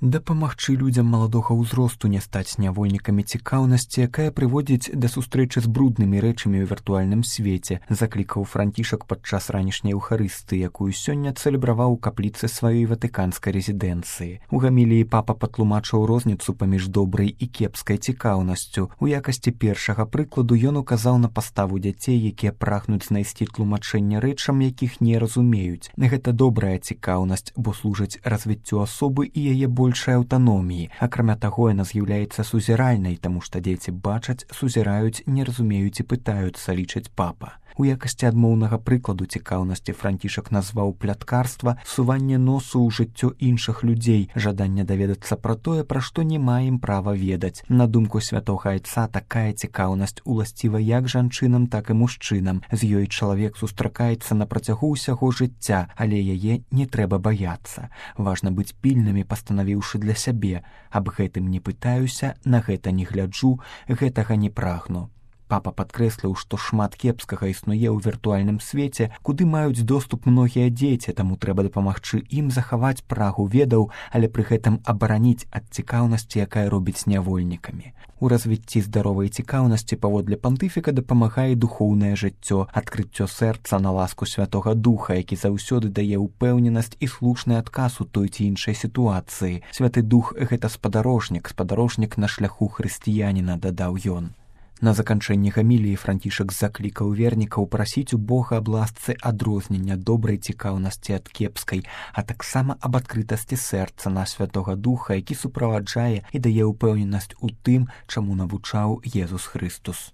Дапамагчы людзям маладога ўзросту не стаць нявольнікамі цікаўнасці, якая прыводзіць да сустрэчы з бруднымі рэчамі ў віртуальным свеце, заклікаў Францішак падчас ранішняй еўхарыстыі, якую сёння цэлебраваў у капліцы сваёй ватыканскай рэзідэнцыі. У гаміліі папа патлумачыў розніцу паміж добрай і кепскай цікаўнасцю. У якасці першага прыкладу ён указаў на паставу дзяцей, якія прагнуць знайсці тлумачэнне рэчам, якіх не разумеюць. Гэта добрая цікаўнасць, бо служыць развіццю асобы і яе большай аўтаноміі. Акрамя таго, яна з'яўляецца сузіральнай, таму што дзеці бачаць, сузіраюць, не разумеюць і пытаюцца, лічыць папа. У якасці адмоўнага прыкладу цікаўнасці Францішак назваў пляткарства суванне носу ў жыццё іншых людзей, жаданне даведацца пра тое, пра што не маем права ведаць. На думку святога айца, такая цікаўнасць уласціва як жанчынам, так і мужчынам. З ёй чалавек сустракаецца на працягу ўсяго жыцця, але яе не трэба баяцца. Важна быць пільнымі, пастанавіўшы для сябе. Аб гэтым не пытаюся, на гэта не гляджу, гэтага не прагну. Папа падкрэсліў, што шмат кепскага існуе ў віртуальным свеце, куды маюць доступ многія дзеці, таму трэба дапамагчы ім захаваць прагу ведаў, але пры гэтым абараніць ад цікаўнасці, якая робіць нявольнікамі. У развіцці здаровай цікаўнасці паводле пантыфіка дапамагае духоўнае жыццё, адкрыццё сэрца на ласку Святога Духа, які заўсёды дае ўпэўненасць і слушны адказ у той ці іншай сітуацыі. Святы Дух — гэта спадарожнік на шляху хрысціяніна, дадаў ён. На заканчэнні гаміліі Францішак заклікаў вернікаў прасіць у Бога аб ласцы адрознення добрай цікаўнасці ад кепскай, а таксама аб адкрытасці сэрца на Святога Духа, які суправаджае і дае ўпэўненасць у тым, чаму навучаў Езус Хрыстус.